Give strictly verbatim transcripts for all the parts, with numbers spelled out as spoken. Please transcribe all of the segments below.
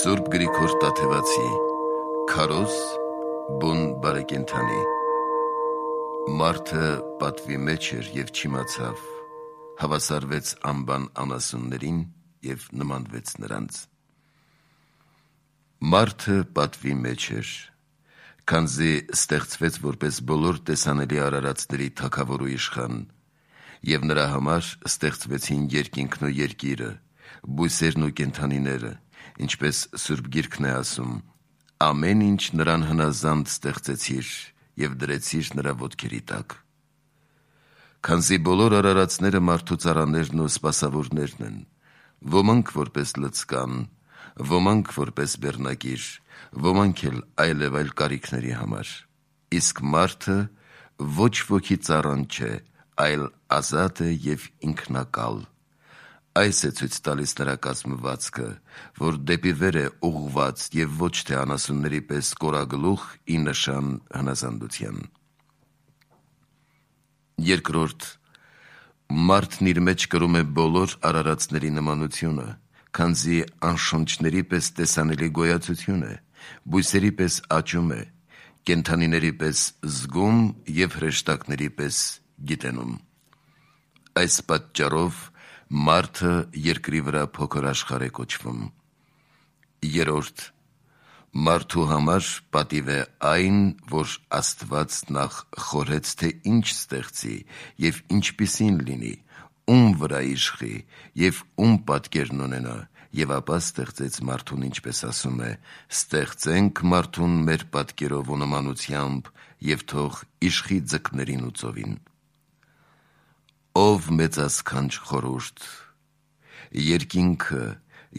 Սուրբ Գրիգոր Տաթևացի Քարոզ բուն բարեկենդանի Մարդը պատվի մեջ էր և չիմացավ, հավասարվեց անբան անասուններին և նմանվեց նրանց։ Մարդը պատվի մեջ էր, քանզի ստեղծվեց որպես բոլոր տեսանելի արարածների թագավոր ու իշխան, և նրա համար ստեղծվեցին երկինքն ու երկիրը, բույսերն ու կենդանիները, ինչպես Սուրբ Գիրքն է ասում. ամեն ինչ նրան հնազանդ ստեղծեցիր և դրեցիր նրա ոտքերի տակ։ Քանզի բոլոր արարածները մարդու ծառաներն ու սպասավորներն են, ոմանք որպես լցկան, ոմանք որպես բեռնակիր, ոմանք էլ այլև այլ կարիքների համար, իսկ մարդը ոչ ոքի ծառան չէ, այլ ազատ է և ինքնակալ։ Այս է ցույց տալիս նրա կազմվածքը, որ դեպի վեր է ուղղված և ոչ թե անասունների պես կորագլուխ ի նշան հնազանդության։ Երկրորդ, մարդն իր մեջ կրում է բոլոր արարածների նմանությունը, քանզի անշունչների պես տեսանելի գոյացություն է, բույսերի պես աճում է, կենդանիների պես զգում և հրեշտակների պես գիտենում։ Այս պատճառով մարդը երկրի վրա փոքր աշխարհ է կոչվում։ Երրորդ, մարդու համար պատիվ է այն, որ Աստված նախ խորհեց, թե ինչ ստեղծի և ինչպիսին լինի, ում վրա իշխի և ում պատկերն ունենա, և ապա ստեղծեց մարդուն, ինչպես ասում է. «Ստեղծենք մարդուն մեր պատկերով ու նմանությամբ և թող իշխի ձկներին ու ծովին»։ Ով մեծասքանչ խորհուրդ, երկինքը,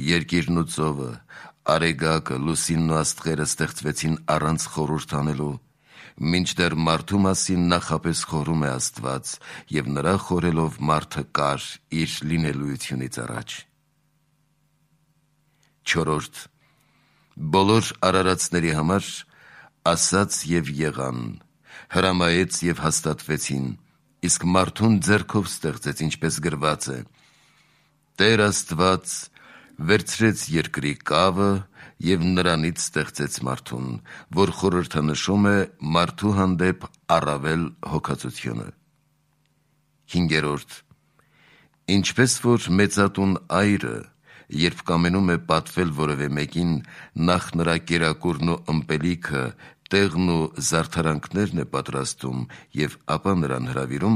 երկիրն ու ծովը, արեգակը, լուսինն ու աստղերը ստեղծվեցին առանց խորհուրդ անելու, մինչդեռ մարդու մասին նախապես խորհում է Աստված, և նրա խորհելով մարդը կար իր լինելույությունից առաջ։ Չորրորդ, բոլոր արարածների համար ասաց և եղան, հրամայեց և հաստատվեցին, իսկ մարդուն ձեռքով ստեղծեց, ինչպես գրված է. «Տեր Աստված վերցրեց երկրի կավը և նրանից ստեղծեց մարդուն, որ խորհրդանշում է մարդու հանդեպ առավել հոգածությունը»։ Հինգերորդ, ինչպես որ մեծատուն այրը, երբ կամենում է պատվել որևէ մեկին, նախ նրա կերակուրն ու ըմպելիքը, տեղն ու զարդարանքներն է պատրաստում և ապա նրան հրավիրում,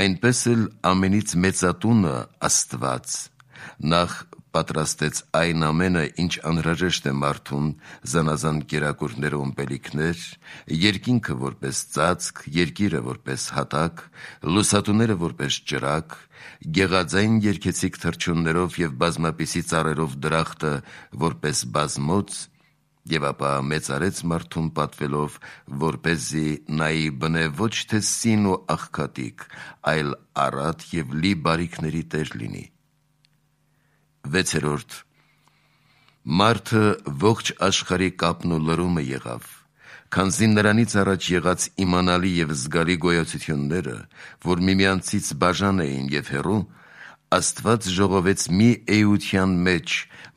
այնպես էլ ամենից մեծատունը Աստված նախ պատրաստեց այն ամենը, ինչ անհրաժեշտ է մարդուն, զանազան կերակուրներ ու ըմպելիքներ, երկինքը որպես ծածկ, երկիրը որպես հատակ, լուսատուները որպես ճրագ, գեղաձայն երգեցիկ թռչուններով և բազմապիսի ծառերով դրախտը որպես բազմոց, և ապա մեծարեց մարդուն պատվելով, որպեսզի նայի բնե ոչ թե սին ու աղքատիկ, այլ առատ և լի բարիքների տեր լինի։ Վեցերորդ, մարդը ողջ աշխարհի կապն ու լրումը եղավ, քանզի նրանից առաջ եղած իմանալի և զգալի գոյացությունները, որ միմյանցից բաժան էին և հեռու, Աստված ժողովեց մի էության մեջ,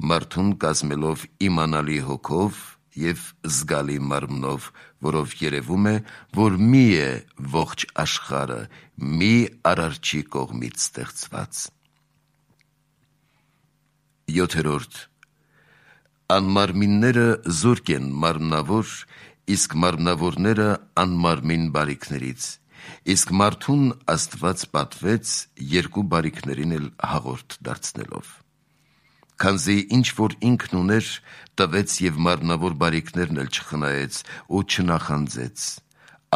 մարդուն կազմելով իմանալի հոգով և զգալի մարմնով, որով երևում է, որ մի է ողջ աշխարհը, մի Արարչի կողմից ստեղծված։ Յոթերորդ, անմարմինները զուրկ են մարմնավոր, իսկ մարմնավորները անմարմին բարիքներից, իսկ մարդուն Աստված պատվեց երկու բարիքներին էլ հաղորդ դարձնելով։ Քանզի ինչ որ ինքն ուներ, տվեց և մարմնավոր բարիքներն էլ չխնայեց ու չնախանձեց,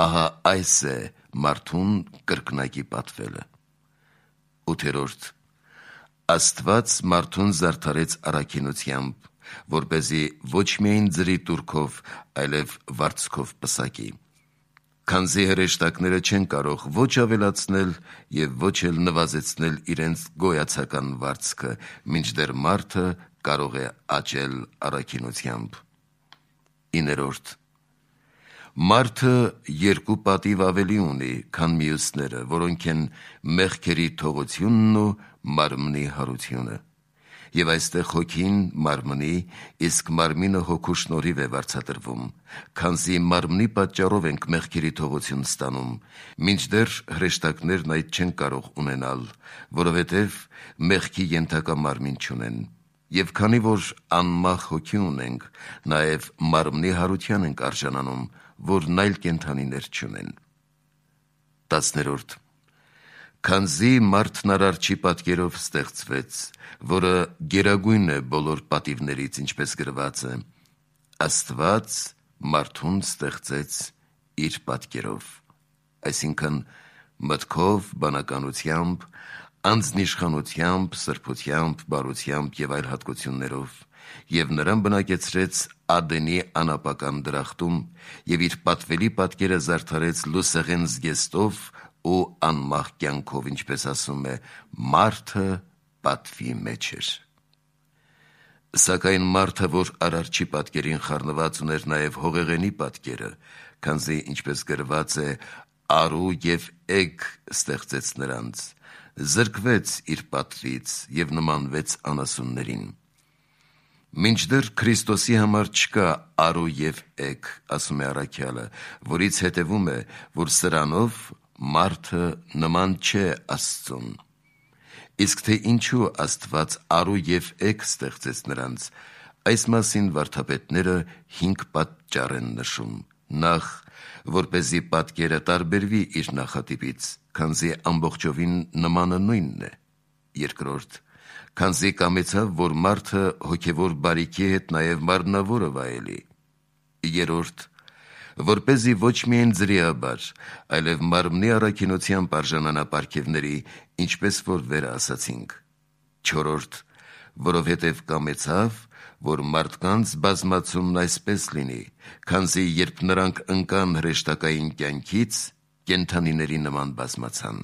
ահա այս է մարդուն կրկնակի պատվելը։ Ութերորդ, Աստված մարդուն զարդարեց առաքինությամբ, որպեսզի ոչ միայն ձրի տուրքով, այլև վարձքով պսակի, քանզի հրեշտակները չեն կարող ոչ ավելացնել և ոչ էլ նվազեցնել իրենց գոյացական վարձքը, մինչդեռ մարդը կարող է աճել առաքինությամբ։ Իներորդ, մարդը երկու պատիվ ավելի ունի, քան մյուսները, որոնք են մեղքերի թողությունն ու մարմնի հարությունը, Եվ այստեղ հոգին մարմնի, իսկ մարմինը հոգու շնորհիվ է վարձատրվում, քանզի մարմնի պատճառով ենք մեղքերի թողություն ստանում, մինչդեռ հրեշտակներն այդ չեն կարող ունենալ, որովհետև մեղքի ենթակա մարմին չունեն։ Եվ քանի որ անմահ հոգի ունենք, նաև մարմնի հարության ենք արժանանում, որն այլ կենդանիներ չունեն։ տասներորդ Քանզի մարդն արարչի պատկերով ստեղծվեց, որը գերագույն է բոլոր պատիվներից, ինչպես գրված է, Աստված մարդուն ստեղծեց իր պատկերով, այսինքն մտքով, բանականությամբ, անձնիշխանությամբ, սրբությամբ, բարությամբ և այլ հատկություններով, և նրան բնակեցրեց Ադենի անապական դրախտում և իր պատվելի պատկերը զարդարեց լուսեղեն զգեստով ու անմահ կյանքով, ինչպես ասում է, մարդը պատվի մեջ էր։ Սակայն մարդը, որ արարչի պատկերին խառնված ուներ նաև հողեղենի պատկերը, քանզի ինչպես գրված է, արու և էգ ստեղծեց նրանց, զրկվեց իր պատվից և նմանվեց անասուններին։ Մինչդեռ Քրիստոսի համար չկա արու և էգ, ասում է առաքյալը, որից հետևում է, որ սրանով մարդը նման չէ Աստծուն։ Իսկ թե ինչու Աստված արու և էգ ստեղծեց նրանց, այս մասին վարդապետները հինգ պատճառ են նշում. Նախ, որպեսզի պատկերը տարբերվի իր նախատիպից, քանզի ամբողջովին նմանը նույնն է։ Երկրորդ, քանզի կամեցավ, որ մարդը հոգևոր բարիքի հետ նաև մարմնավորը վայելի։ Երրորդ, որպեսզի ոչ միայն ձրիաբար, այլև մարմնի առաքինությամբ արժանանա պարգևների, ինչպես որ վեր ասացինք։ Չորրորդ, որովհետև կամեցավ, որ մարդկանց բազմացումն այսպես լինի, քանզի երբ նրանք ընկան հրեշտակային կյանքից, կենդանիների նման բազմացան։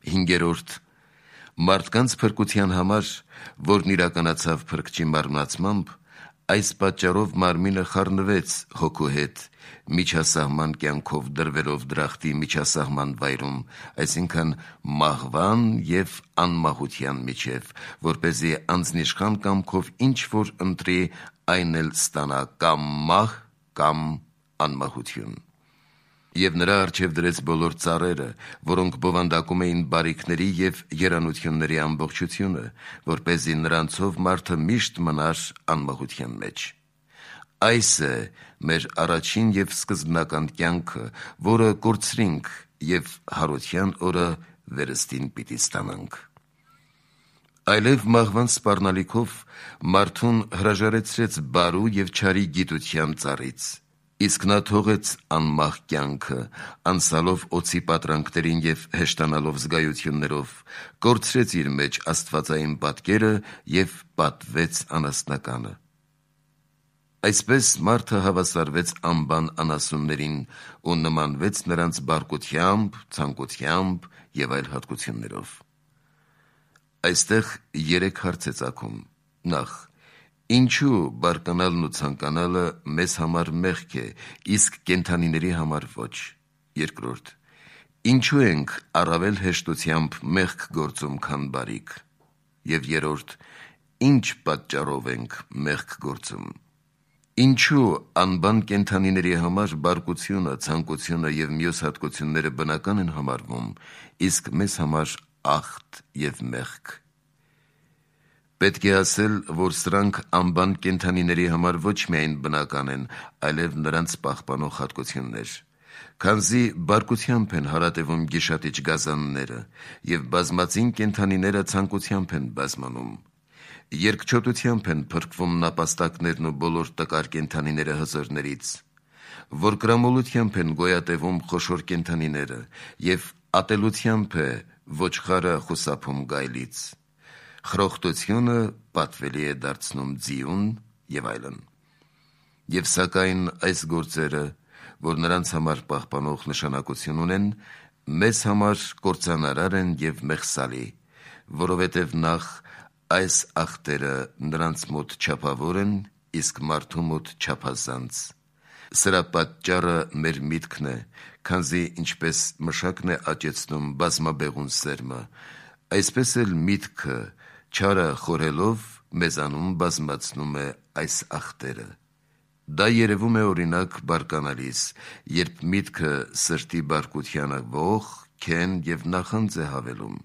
Հինգերորդ, մարդկանց փրկության համար, որն իրականացավ փրկչի մարմնացմամբ, այս պատճառով մարմինը խառնվեց հոգու հետ, միջասահման կյանքով դրվելով դրախտի միջասահման վայրում, այսինքն մահվան և անմահության միջև, որպեսզի անձնիշխան կամքով ինչ որ ընտրի, այն էլ ստանա կամ մահ, կամ անմահություն։ Եվ նրա առջև դրեց բոլոր ծառերը, որոնք բովանդակում էին բարիքների և երանությունների ամբողջությունը, որպեսզի նրանցով մարդը միշտ մնար անմահության մեջ։ Այս է մեր առաջին և սկզբնական կյանքը, որը կորցրինք և հարության օրը վերստին պիտի ստանանք։ Այլև մահվան սպառնալիքով մարդուն հրաժարեցրեց բարու և չարի գիտության ծառից, իսկ նա թողեց անմահ կյանքը, անցալով օձի պատրանքներին և հեշտանալով զգայություններով, կորցրեց իր մեջ աստվածային պատկերը և պատվեց անասնականը։ Այսպես մարդը հավասարվեց անբան անասուններին ու նմանվեց նրանց բարկությամբ, ցանկությամբ և այլ հատկություններով։ Այստեղ երեք հարց է ծագում. Նախ, ինչու բարկանալն ու ցանկանալը մեզ համար մեղք է, իսկ կենդանիների համար ոչ։ Երկրորդ, ինչու ենք առավել հեշտությամբ մեղք գործում, քան բարիք։ Եվ երրորդ, ինչ պատճառով ենք մեղք գործում։ Ինչու անբան կենդանիների համար բարկությունը, ցանկությունը և մյուս հատկությունները բնական են համարվում, իսկ մեզ համար աղտ և մեղք։ Պետք է ասել, որ սրանք անբան կենդանիների համար ոչ միայն բնական են, այլև նրանց պահպանող հատկություններ, քանզի բարկությամբ են հարատևում գիշատիչ գազանները, և բազմածին կենդանիները ցանկությամբ են բազմանում։ Երկչոտությամբ են փրկվում նապաստակներն ու բոլոր տկար կենդանիները հզորներից, որկրամոլությամբ են գոյատևում խոշոր կենդանիները, և ատելությամբ է ոչխարը խուսափում գայլից, խրոխտությունը պատվելի է դարձնում ձիուն և այլն։ Եվ սակայն այս գործերը, որ նրանց համար պահպանող նշանակություն ունեն, մեզ համար կործանարար են և մեղսալի, որովհետև նախ այս աղտերը նրանց մոտ չափավոր են, իսկ մարդու մոտ չափազանց։ Սրա պատճառը մեր միտքն է, քանզի ինչպես մշակն է աճեցնում բազմաբեղուն սերմը, այսպես էլ միտքը չարը խորելով մեզանում բազմացնում է այս ախտերը։ Դա երևում է օրինակ բարկանալիս, երբ միտքը սրտի բարկությանը ող, քեն և նախանձ է հավելում։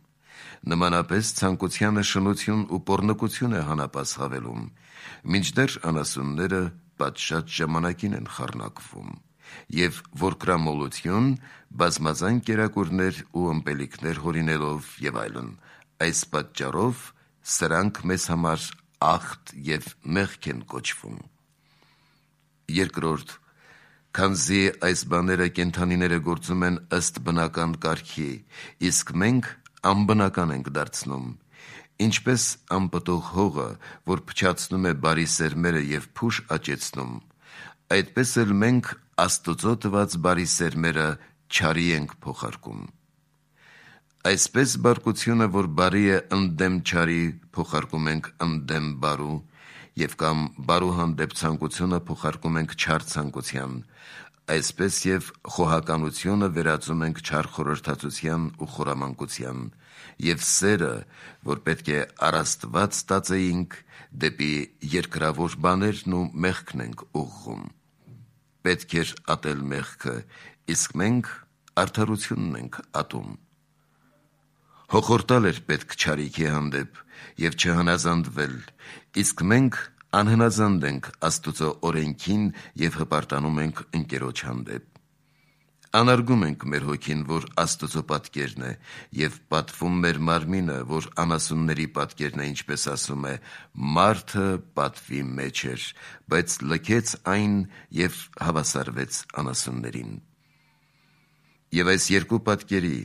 Նմանապես ցանկությանը շնություն ու պոռնկություն է հանապաս հավելում, մինչդեռ անասունները պատշաճ ժամանակին են խառնակվում, և որկրամոլություն, բազմազան կերակուրներ ու ըմպելիքներ հորինելով և այլն։ Այս պատճառով սրանք մեզ համար ախտ և մեղք են կոչվում։ Երկրորդ, քանզի այս բաները կենդանիները գործում են ըստ բնական կարգի, իսկ մենք անբնական ենք դարձնում, ինչպես անպտուղ հողը, որ փչացնում է բարի սերմերը և փուշ աճեցնում, այդպես էլ մենք Աստծո տված բարի սերմերը չարի ենք փոխարկում։ Այսպես բարկությունը, որ բարի է ընդդեմ չարի, փոխարկում ենք ընդդեմ բարու, և կամ բարու հանդեպ ցանկությունը փոխարկում ենք չար ցանկության, այսպես և խոհականությունը վերածում ենք չար խորհրդածության ու խորամանկության, և սերը, որ պետք է առ Աստված ստացեինք, դեպի երկրավոր բաներն ու մեղքն ենք ուղղում։ Պետք էր ատել մեղքը, իսկ մենք արդարությունն ենք ատում։ Հոխորտալ էր պետք չարիքի հանդեպ և չհնազանդվել, իսկ մենք անհնազանդ ենք Աստծո օրենքին և հպարտանում ենք ընկերոջ հանդեպ։ Անարգում ենք մեր հոգին, որ Աստծո պատկերն է, և պատվում մեր մարմինը, որ անասունների պատկերն է, ինչպես ասում է. «Մարդը պատվի մեջ էր, բայց լքեց այն և հավասարվեց անասուններին»։ Եվ այս երկու պատկերի,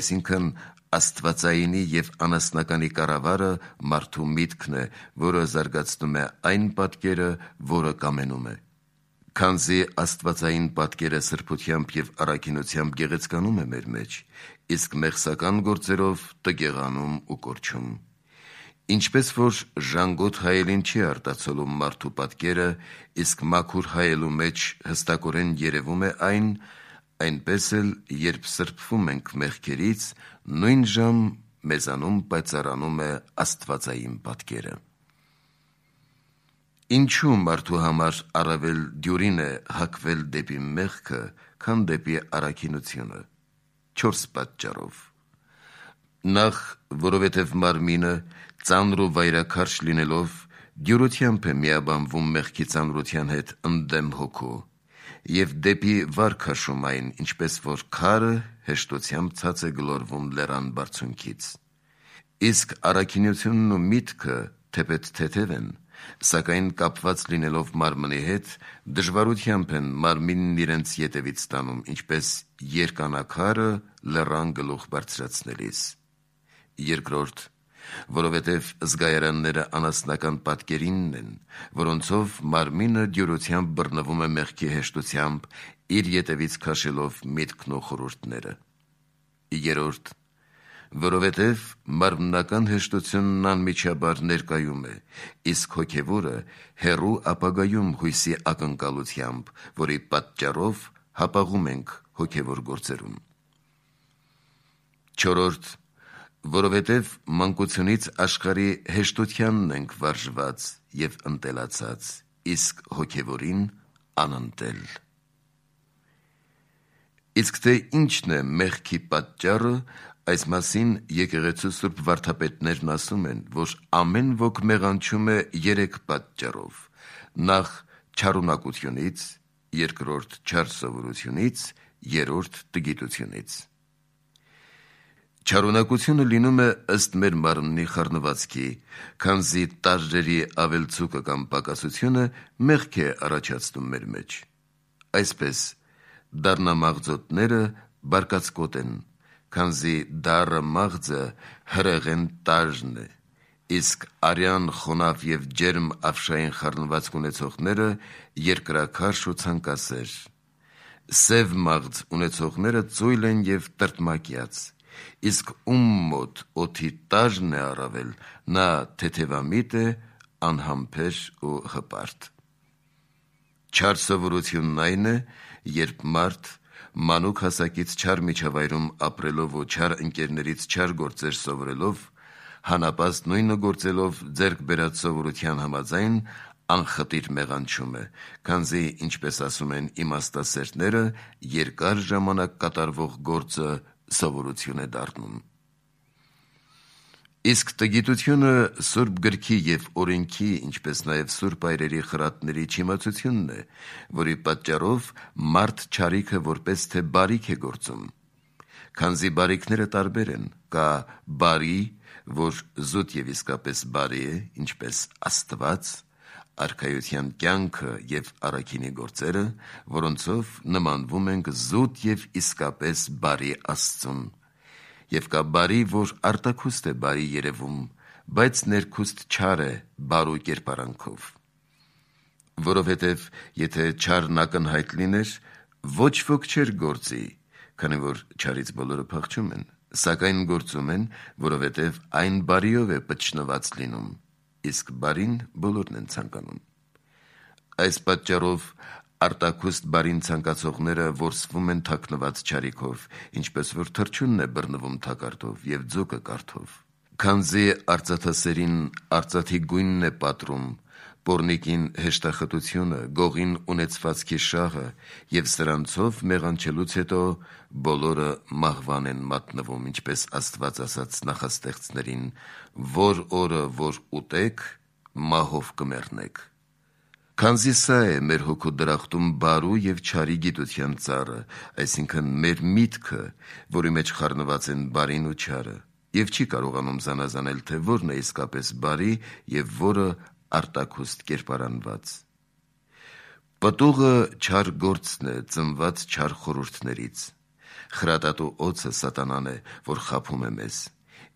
այսինքն աստվածայինի և անասնականի կառավարը մարդու միտքն է, որը զարգացնում է այն պատկերը, որը կամենում է։ Քանզի աստվածային պատկերը սրբությամբ և առաքինությամբ գեղեցկանում է մեր մեջ, իսկ մեղսական գործերով տգեղանում ու կորչում։ Ինչպես որ ժանգոտ հայելին չի արտացոլում մարդու պատկերը, իսկ մաքուր հայելու մեջ հստակորեն երևում է այն, այնպես էլ երբ սրբվում ենք մեղքերից, նույն ժամ մեզանում պայծառանում է աստվածային պատկերը։ Ինչու մարդու համար առավել դյուրին է հակվել դեպի մեղքը, քան դեպի առաքինությունը։ Չորս պատճառով։ Նախ, որովհետև մարմինը ծանր ու վայրաքարշ լինելով դյուրությամբ է միաբանվում մեղքի ծանրության հետ ընդդեմ հոգու և դեպի վար քաշում այն, ինչպես որ քարը հեշտությամբ ցած է գլորվում լեռան բարձունքից։ Իսկ առաքինությունն ու միտքը թեպետ թեթև են, սակայն կապված լինելով մարմնի հետ, դժվարությամբ են մարմինն իրենց ետևից տանում, ինչպես երկանակարը լեռան գլուխ բարձրացնելիս։ Երկրորդ, որովհետև զգայարանները անասնական պատկերինն են, որոնցով մարմինը դյուրությամբ բռնվում է մեղքի հեշտությամբ, իր ետևից քաշելով միտքն ու խորհուրդները։ Երրորդ, որովհետև մարմնական հեշտությունն անմիջաբար ներկայում է, իսկ հոգևորը հեռու ապագայում հույսի ակնկալությամբ, որի պատճառով հապաղում ենք հոգևոր գործերում։ Չորրորդ, որովհետև մանկությունից աշխարհի հեշտությանն ենք վարժված և ընտելացած, իսկ հոգևորին անընտել։ Իսկ թե ինչն է մեղքի պատճառը, այս մասին եկեղեցու սուրբ վարդապետներն ասում են, որ ամեն ոք մեղանչում է երեք պատճառով. նախ չարունակությունից, երկրորդ չար սովորությունից, երրորդ տգիտությունից։ Չարունակությունը լինում է ըստ մեր մարմնի խառնվածքի, քանզի տարրերի ավելցուկը կամ պակասությունը մեղք է առաջացնում մեր մեջ։ Այսպես, դառնամաղձոտները բարկացկոտ են, քանզի դառը մաղձը հրեղեն տարրն է, իսկ արյան, խոնավ և ջերմ ավշային խառնվածք ունեցողները երկրաքարշ ու ցանկասեր։ Սև մաղձ ունեցողները ծույլ են և տրտմակյաց, իսկ ում մոտ օդի տարրն է առավել, նա թեթևամիտ է, անհամբեր ու հպարտ։ Չար սովորությունն այն է, երբ մարդ մանուկ հասակից չար միջավայրում ապրելով ու չար ընկերներից չար գործեր սովորելով, հանապաստ նույնը գործելով ձեռք բերած սովորության համաձայն անխտիր մեղանչում է, քանզի, ինչպես ասում են իմաստասերները, երկար ժամանակ կատարվող գործը սովորություն է դառնում։ Իսկ տգիտությունը Սուրբ գրքի և օրենքի, ինչպես նաև Սուրբ այրերի խրատների չիմացությունն է, որի պատճառով մարդ չարիքը որպես թե բարիք է գործում։ Քանզի բարիքները տարբեր են, կա բարի, որ զուտ և իսկապես բարի է, ինչպես Աստված, արքայության կյանքը և առաքինի գործերը, որոնցով նմանվում ենք զուտ և իսկապես բարի Աստծուն, և կա բարի, որ արտաքուստ է բարի երևում, բայց ներքուստ չար է բարու կերպարանքով։ Որովհետև եթե չարն ակնհայտ լիներ, ոչ ոք չէր գործի, քանի որ չարից բոլորը փախչում են, սակայն գործում են, որովհետև այն բարիով է պտշնված լինում, իսկ բարին բոլորն են ցանկանում։ Այս պատճառով արտաքուստ բարին ցանկացողները որսվում են թաքնված չարիքով, ինչպես որ թռչունն է բռնվում թակարդով և ձուկը կարթով։ Քանզի արծաթասերին արծաթի գույնն է պատռում, պոռնիկին հեշտախտությունը, գողին ունեցվածքի շահը, և սրանցով մեղանչելուց հետո բոլորը մահվան են մատնվում, ինչպես Աստված ասաց նախաստեղծներին, որ օրը որ ուտեք, մահով կմեռնեք։ Քանզի սա է մեր հոգու դրախտում բարու և չարի գիտության ծառը, այսինքն մեր միտքը, որի մեջ խառնված են բարին ու չարը, և չի կարողանում զանազանել, թե որն է իսկապես բարի և որը արտաքուստ կերպարանված։ Պտուղը չար գործն է, ծնված չար խորհուրդներից։ Խրատատու օձը սատանան է, որ խաբում է մեզ,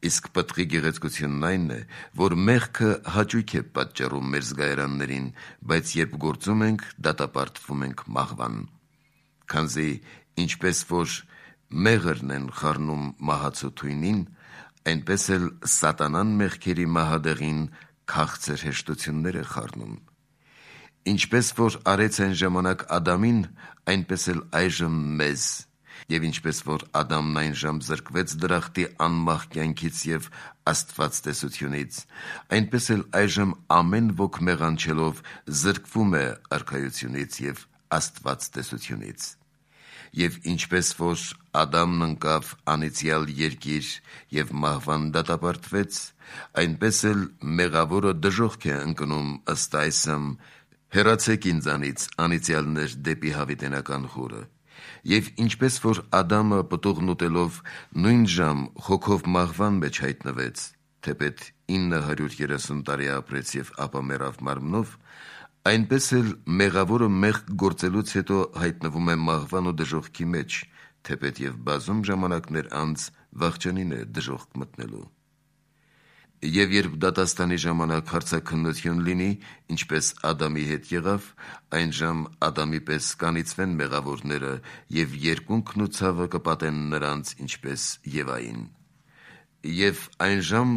իսկ պտղի գեղեցկությունն այն է, որ մեղքը հաճույք է պատճառում մեր զգայարաններին, բայց երբ գործում ենք, դատապարտվում ենք մահվան։ Քանզի ինչպես որ մեղրն են խառնում մահացու թույնին, այնպես էլ սատանան մեղքերի մահադեղին քաղցր հեշտություններ է խառնում։ Ինչպես որ արեց այն ժամանակ Ադամին, այնպես էլ այժմ մեզ, և ինչպես որ Ադամն այն ժամ զրկվեց դրախտի անմահ կյանքից և Աստված տեսությունից, այնպես էլ այժմ ամեն ոք մեղանչելով զրկվում է արքայությունից և Աստված տեսությունից։ Եվ ինչպես որ Ադամն ընկավ անիծյալ երկիր և մահվան դատապարտվեց, այնպես էլ մեղավորը դժոխք է ընկնում ըստ այսմ. «Հեռացեք ինձանից, անիծյալներ, դեպի հավիտենական խորը»։ Եվ ինչպես որ Ադամը պտուղն ուտելով նույն ժամ հոգով մահվան մեջ հայտնվեց, թեպետ ինը հարյուր երեսուն տարի ապրեց և ապա մեռավ մարմնով, այնպես էլ մեղավորը մեղք գործելուց հետո հայտնվում է մահվան ու դժոխքի մեջ, թեպետ և բազում ժամանակներ անց վախճանին է դժոխք մտնելու։ Եվ երբ դատաստանի ժամանակ հարցաքննություն լինի, ինչպես Ադամի հետ եղավ, այնժամ Ադամի պես կանիծվեն մեղավորները և երկունքն ու ցավը կպատեն նրանց, ինչպես Եվային։ Եվ այնժամ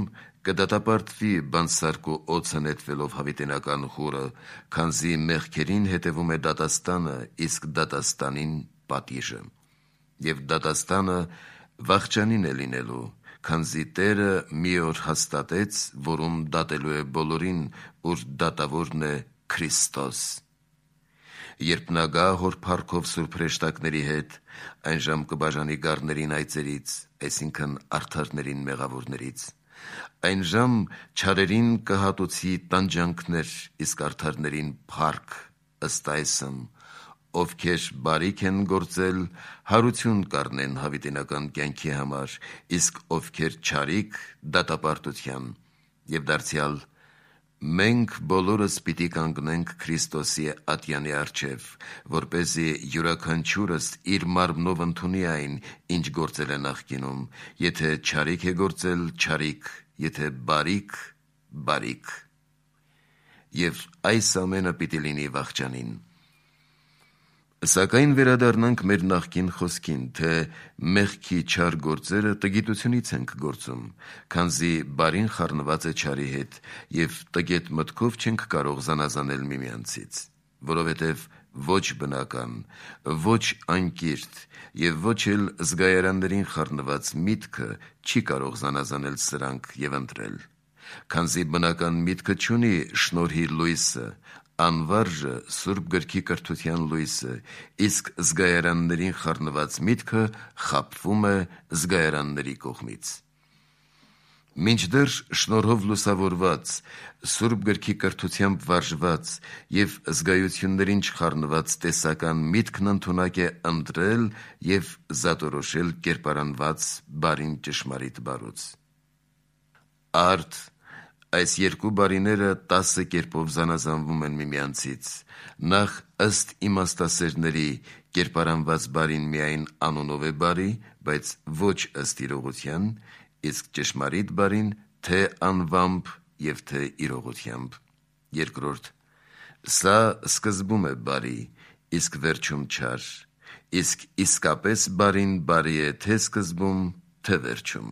կդատապարտվի բանսարք ու օձը նետվելով հավիտենական խորը, քանզի մեղքերին հետևում է դատաստանը, իսկ դատաստանին պատիժը։ Եվ դատաստանը վախճանին է լինելու, քանզի Տերը մի օր հաստատեց, որում դատելու է բոլորին, ուր դատավորն է Քրիստոս։ Երբ նա գա հոր փառքով սուրբ հրեշտակների հետ, այնժամ կբաժանի գառներին այծերից, այսինքն արդարներին մեղավորներից։ Այնժամ չարերին կհատուցի տանջանքներ, իսկ արդարներին փառք, ըստ այսմ. ովքեր բարիք են գործել, հարություն կառնեն հավիտենական կյանքի համար, իսկ ովքեր չարիք՝ դատապարտության։ Եվ դարձյալ մենք բոլորս պիտի կանգնենք Քրիստոսի ատյանի առջև, որպեսզի յուրաքանչյուրս իր մարմնով ընդունի այն, ինչ գործել է նախկինում, եթե չարիք է գործել՝ չարիք, եթե բարիք՝ բարիք։ Եվ այս ամենը պիտի լինի վախճանին։ Սակայն վերադառնանք մեր նախկին խոսքին, թե մեղքի չար գործերը տգիտությունից ենք գործում, քանզի բարին խառնված է չարի հետ, և տգետ մտքով չենք կարող զանազանել միմյանցից, որովհետև ոչ բնական, ոչ անկիրթ և ոչ էլ զգայարաններին խառնված միտքը չի կարող զանազանել սրանք և ընտրել, քանզի բնական միտքը չունի շնորհի լույսը, անվարժը Սուրբ գրքի կրթության լույսը, իսկ զգայարաններին խառնված միտքը խաբվում է զգայարանների կողմից։ Մինչդեռ շնորհով լուսավորված, Սուրբ գրքի կրթությամբ վարժված և զգայություններին չխառնված տեսական միտքն ընդունակ է ընտրել և զատորոշել կերպարանված բարին ճշմարիտ բարուց։ Արդ այս երկու բարիները տասը կերպով զանազանվում են միմյանցից, նախ ըստ իմաստասերների կերպարանված բարին միայն անունով է բարի, բայց ոչ ըստ իրողության, իսկ ճշմարիտ բարին թե անվամբ և թե իրողությամբ։ Երկրորդ, սա սկզբում է բարի, իսկ վերջում չար, իսկ իսկապես բարին բարի է թե սկզբում, թե վերջում։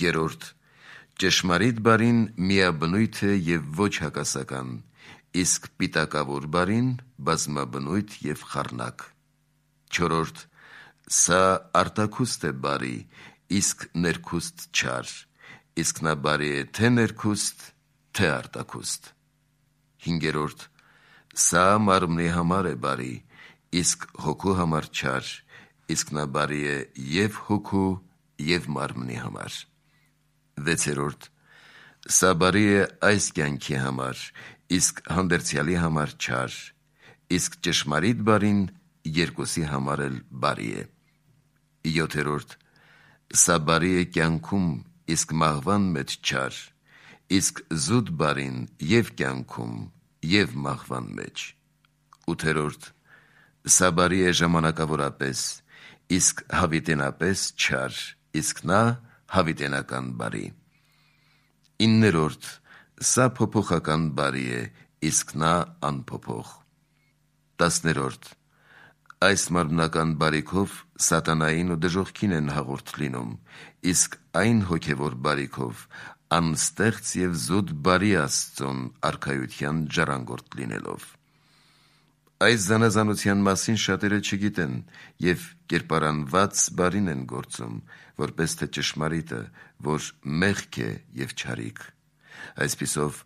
Երրորդ, ճշմարիտ բարին միաբնույթ է և ոչ հակասական, իսկ պիտակավոր բարին բազմաբնույթ և խառնակ։ Չորրորդ, սա արտաքուստ է բարի, իսկ ներքուստ չար, իսկ նա բարի է թե ներքուստ, թե արտաքուստ։ Հինգերորդ, սա մարմնի համար է բարի, իսկ հոգու համար չար, իսկ նա բարի է և հոգու, և մարմնի համար։ Վեցերորդ, սա բարի է այս կյանքի համար, իսկ հանդերձյալի համար չար, իսկ ճշմարիտ բարին երկուսի համար էլ բարի է։ Յոթերորդ, սա բարի է կյանքում, իսկ մահվան մեջ չար, իսկ զուտ բարին և կյանքում, և մահվան մեջ։ Ութերորդ, սա բարի է ժամանակավորապես, իսկ հավիտենապես չար, իսկ նա հավիտենական բարի։ Իններորդ, սա փոփոխական բարի է, իսկ նա անփոփոխ։ Տասներորդ, այս մարմնական բարիքով սատանային ու դժոխքին են հաղորդ լինում, իսկ այն հոգևոր բարիքով անստեղծ և զուտ բարի Աստծուն արքայության ժառանգորդ լինելով։ Այս զանազանության մասին շատերը չգիտեն և կերպարանված բարին են գործում, որպես թե ճշմարիտը, որ մեղք է և չարիք։ Այսպիսով,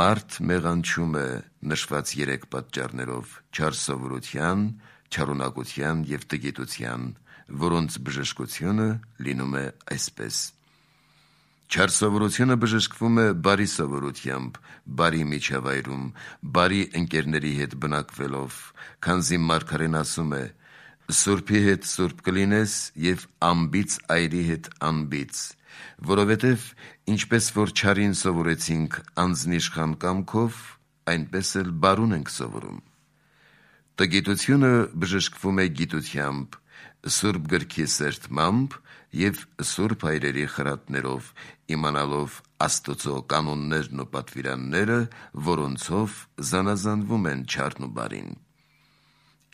մարդ մեղանչում է նշված երեք պատճառներով՝ չար սովորության, չարունակության և տգիտության, որոնց բժշկությունը լինում է այսպես. Չար սովորությունը բժշկվում է բարի սովորությամբ, բարի միջավայրում, բարի ընկերների հետ բնակվելով, քանզի մարգարեն ասում է. «Սուրբի հետ սուրբ կլինես և անբիծ այրի հետ անբիծ, որովհետև ինչպես որ չարին սովորեցինք անձնիշխան կամքով, այնպես էլ բարուն ենք սովորում»։ Տգիտությունը բժշկվում է գիտությամբ, Սուրբ գրքի սերտմամբ և սուրբ հայրերի խրատներով, իմանալով Աստծո կանոններն ու պատվիրանները, որոնցով զանազանվում են չարն ու բարին։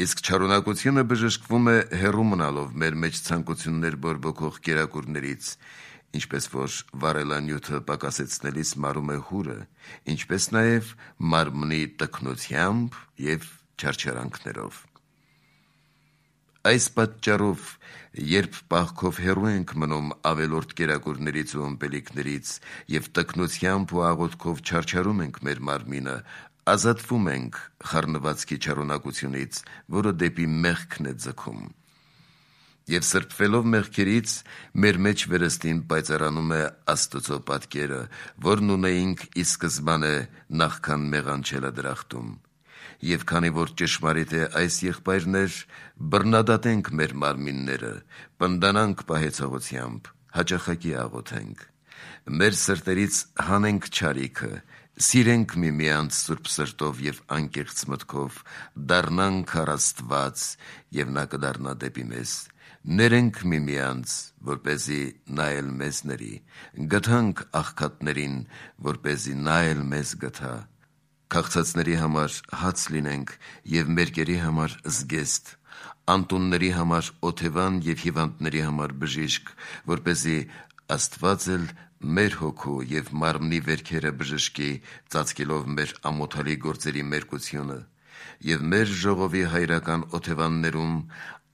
Իսկ չարունակությունը բժշկվում է հեռու մնալով մեր մեջ ցանկություններ բորբոքող կերակուրներից, ինչպես որ վառելանյութը պակասեցնելիս մարում է հուրը, ինչպես նաև մարմնի տքնությամբ և չարչարանքներով։ Այս պատճառով, երբ պահքով հեռու ենք մնում ավելորդ կերակուրներից ու ըմպելիքներից և տքնությամբ ու աղոթքով չարչարում ենք մեր մարմինը, ազատվում ենք խառնվածքի չարունակությունից, որը դեպի մեղքն է ձգում։ Եվ սրբվելով մեղքերից, մեր մեջ վերստին պայծառանում է Աստծո պատկերը, որն ունեինք ի սկզբանե նախքան մեղանչելը դրախտում։ Եվ քանի որ ճշմարիտ է այս, եղբայրներ, բռնադատենք մեր մարմինները, պնդանանք պահեցողությամբ, հաճախակի աղոթենք։ Մեր սրտերից հանենք չարիքը, սիրենք միմյանց սուրբ սրտով և անկեղծ մտքով, դառնանք առ Աստված, և նա կդառնա դեպի մեզ։ Ներենք միմյանց, որպեսզի նա էլ մեզ ների, գթանք աղքատներին, որպեսզի նա էլ մեզ գթա։ Քաղցածների համար հաց լինենք և մերկերի համար զգեստ, անտունների համար օթևան և հիվանդների համար բժիշկ, որպեսզի Աստված էլ մեր հոգու և մարմնի վերքերը բժշկի, ծածկելով մեր ամոթալի գործերի մերկությունը, և մեր ժողովի հայրական օթևաններում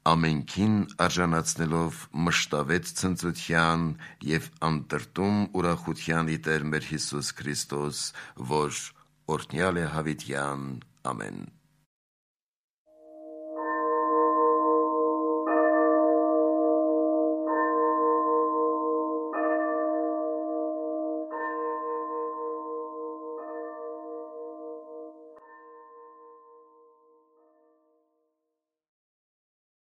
ամենքին արժանացնելով մշտավետ ցնծության և անտրտում ուրախության ի Տեր մեր Հիսուս Քրիստոս, որ օրհնյալ է հավիտյան։ Ամեն։